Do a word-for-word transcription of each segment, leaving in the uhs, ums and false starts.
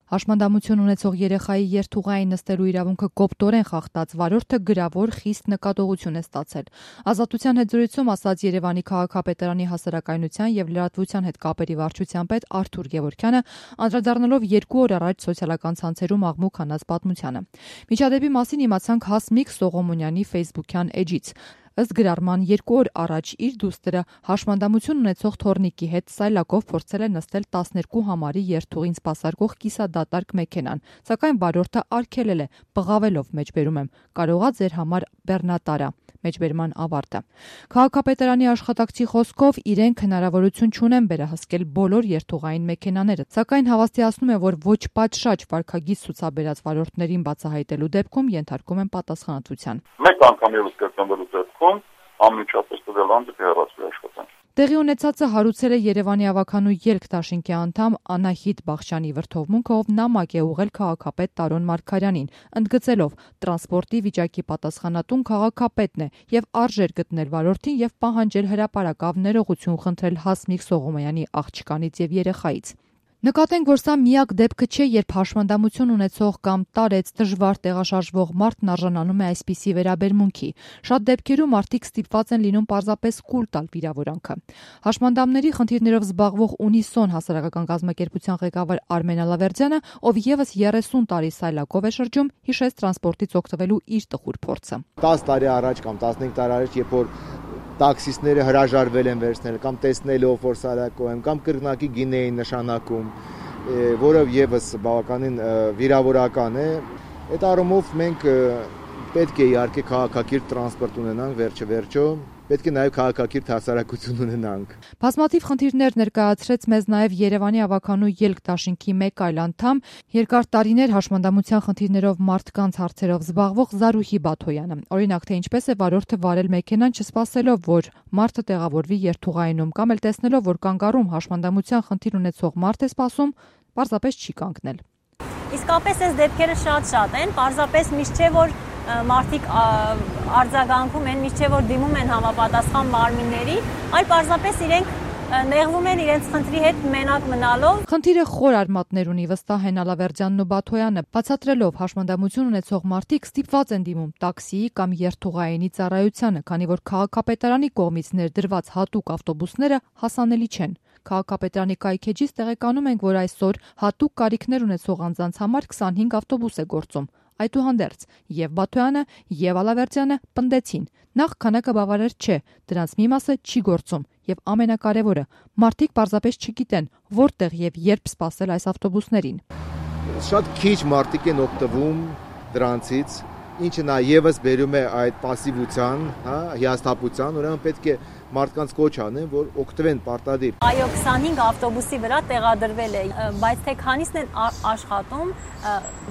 Հաշմանդամություն ունեցող երեխայի երթուղային նստելու իրավունքը կոպտորեն խախտած վարորդը գրավոր խիստ նկատողություն է ստացել։ Ազատության հետ զրույցում ասաց Երևանի քաղաքապետարանի հասարակայնության եւ լրատվության հետ կապերի վարչության պետ Արթուր Գևորգյանը, անդրադառնալով երկու օր առաջ սոցիալական ցանցերում աղմուկ հանած պատմությանը։ Միջադեպի մասին իմացանք Հասմիկ Սողոմոնյանի ֆեյսբուքյան էջից։ Ըստ գրառման երկու օր առաջ իր դուստրը հաշմանդամություն ունեցող թոռնիկի հետ սայլակով փորձել է նստել տասներկու համարի երթուղին սպասարկող կիսադատարկ մեքենան, սակայն վարորդը արգելել է, բղավելով մեջբերում եմ, կարողա ձեր համար բեռնատարա, մեջբերման ավարտը։ Քաղաքապետարանի աշխատակցի խոսքով իրենք հնարավորություն չունեն վերահսկել բոլոր երթուղային մեքենաները, սակայն հավաստիացնում է, որ ոչ պատշաճ վարքագիծ ցուցաբերած վարորդներին բացահայտելու դեպքում ենթարկում են պատասխանատվության։ Մեկ անգամ ևս կրկնվելու դեպքում անմիջապես տվյալ անձը կհեռացվի աշխատանք։ Տեղի ունեցածը հարուցել է Երևանի ավականու ելք դաշինքի անդամ Անահիտ Բախշյանի վրթովմունքով նամակ է ուղղել քաղաքապետ Տարոն Մարգարյանին, ընդգծելով տրանսպորտի վիճակի պատասխանատուն քաղաքապետն է եւ արժեր գտնել վարորդին եւ պահանջել հրապարակավ ներողություն խնդրել Հասմիկ Սողոմոնյանի աղջկանից եւ երեխայից։ Նկատենք, որ սա միակ դեպքը չէ, երբ հաշմանդամություն ունեցող կամ տարեց դժվար տեղաշարժվող մարդն արժանանում է այսպիսի վերաբերմունքի։ Շատ դեպքերում մարդիկ ստիպված են լինում պարզապես կուլ տալ վիրավորանքը։ Հաշմանդամների խնդիրներով զբաղվող Ունիսոն հասարակական կազմակերպության ղեկավար Արմեն Ալավերդյանը, ով եւս երեսուն տարի սայլակով է շրջում, հիշեց տրանսպորտից օգտվելու իր տխուր փորձը։ տասը տարի առաջ կամ տասնհինգ տարի առաջ, երբ որ տաքսիստները հրաժարվել են վերցնել կամ տեսնելով որ սարակով են կամ կրկնակի գինե էին նշանակում, որը եւս բավականին վիրավորական է։ Այդ առումով մենք պետք է իհարկե քաղաքակիրթ տրանսպորտ ունենանք, վերջը վերջո պետք է նաև քաղաքակիրթ հասարակություն ունենանք։ Բազմաթիվ խնդիրներ ներկայացրեց մեզ նաև Երևանի ավականու ելք դաշինքի մեկ այլ անդամ, երկար տարիներ հաշմանդամության խնդիրներով մարդկանց հարցերով զբաղվող Զարուհի Բաթոյանը։ Օրինակ, թե ինչպես է վարորդը վարել մեքենան չսպասելով, որ մարդը տեղավորվի երթուղայինում, կամ էլ տեսնելով, որ կանգառում հաշմանդամության խնդիր ունեցող մարդ է սպասում, պարզապես չի կանգնել։ Իսկապես այս դեպքերը շատ-շատ են, պարզապես միշտ չէ որ մարդիկ արձագանքում են, միշտ չէ որ դիմում են համապատասխան մարմինների, այլ պարզապես իրենք նեղվում են իրենց խնդրի հետ մենակ մնալով։ Խնդիրը խոր արմատներ ունի, վստահ են Ալավերդյանն ու Բաթոյանը, բացատրելով հաշմանդամություն ունեցող մարդիկ ստիպված են դիմում տաքսիի կամ երթուղայինի ծառայությանը, քանի որ քաղաքապետարանի կողմից ներդրված հատուկ ավտոբուսները հասանելի չեն։ Քաղաքապետարանի կայքեջից տեղեկանում ենք, որ այսօր հատուկ կարիքներ ունեցող անձանց համար քսանհինգ ավտոբուս է գործում։ Այդուհանդերձ եւ Բաթոյանը եւ Ալավերդյանը պնդեցին. նախ քանակը բավարար չէ, դրանց մի մասը չի գործում եւ ամենակարևորը, մարդիկ պարզապես չգիտեն որտեղ եւ երբ սպասել այս ավտոբուսներին։ Շատ քիչ մարդիկ են օգտվում դրանցից, ինչը նաեւս բերում է այդ пассивության, հա, հիասթափության, ուրեմն պետք է մարդկանց կոչ անեն, որ օգտվեն պարտադիր։ Այո, քսանհինգ ավտոբուսի վրա տեղադրվել է, բայց թե քանիսն են աշխատում,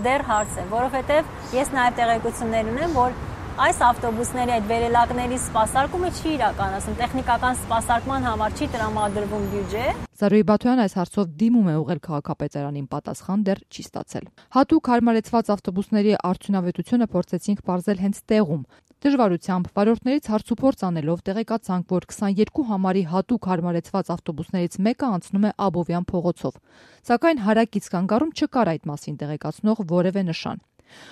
դեռ հարց է, որովհետև ես նաև տեղեկություններ ունեմ, որ այս ավտոբուսների այդ վերելակների սպասարկումը չի իրականացում, տեխնիկական սպասարկման համար չի տրամադրվում բյուջե։ Զարուհի Բաթոյանը այս հարցով դիմում է ուղղել քաղաքապետարանին, պատասխան դեռ չի ստացել։ Հատուկ հարմարեցված ավտոբուսների արդյունավետությունը փորձեցինք պարզել հենց տեղում։ Դժվարությամբ վարորդներից հարցուփորձ անելով տեղեկացանք, որ քսաներկու համարի հատուկ հարմարեցված ավտոբուսներից մեկը անցնում է Աբովյան փողոցով, սակայն հարակից կանգառում չկար այդ մասին տեղեկացնող որևէ նշան։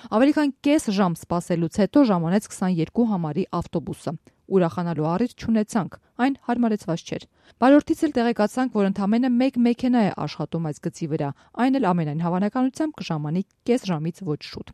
Ավելի քան կես ժամ սպասելուց հետո ժամանեց քսաներկու համարի ավտոբուսը։ Ուրախանալու առիթ չունեցանք, այն հարմարեցված չէր։ Վարորդից էլ տեղեկացանք, որ ընդամենը մեկ մեքենա է աշխատում այս գծի վրա, այն էլ ամենայն հավանականությամբ կժամանի կես ժամից ոչ շուտ։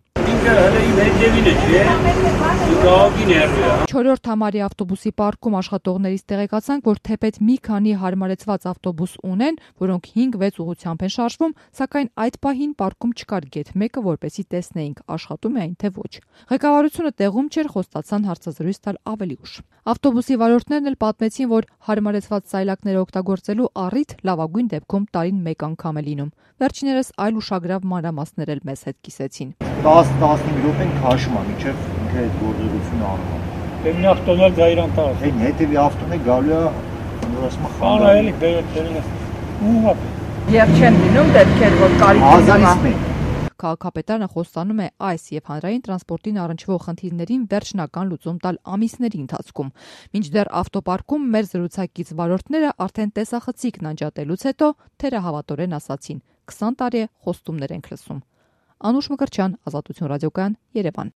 Չորրորդ համարի ավտոբուսի պարկում աշխատողներից տեղեկացանք, որ թեպետ մի քանի հարմարեցված ավտոբուս ունեն, որոնք հինգ-վեց ուղղությամբ են շարժվում, սակայն այդ պահին պարկում չկար գեթ մեկը, որպեսզի տեսնեինք, աշխատում է այն թե ոչ։ Ղեկավարությունը տեղում չէր, խոստացան հարցազրույց տալ ավելի ուշ։ Ավտոբուսի վարորդներն էլ պատմեցին, որ հարմարեցված սայլակները օգտագործելու առիթ լավագույն դեպքում տարին մեկ անգամ է լինում։ Վերջիներս այլ ուշագրավ մանրամասներ էլ մեզ հետ կիսեցին։ տասը-տասնհինգ րոպե քաշում է, մինչև ինքը այդ գործողությունը անում է։ Դեմի ավտոներ գայրան տա։ Այն հետևի ավտոն է գալու է, ասում է խանա էլի բերել։ Ու Եվ չեն լինում դեպքեր, որ կարիք Քաղաքապետարանը խոստանում է այս եւ հանրային տրանսպորտին առնչվող խնդիրներին վերջնական լուծում տալ ամիսների ընթացքում։ Մինչդեռ ավտոպարկում մեր զրուցակից վարորդները արդեն տեսախցիկն անջատելուց հետո թերահավատորեն ասացին. քսան տարի է խոստումներ ենք լսում։ Անուշ Մկրտչյան, Ազատություն ռադիոկայան, Երևան։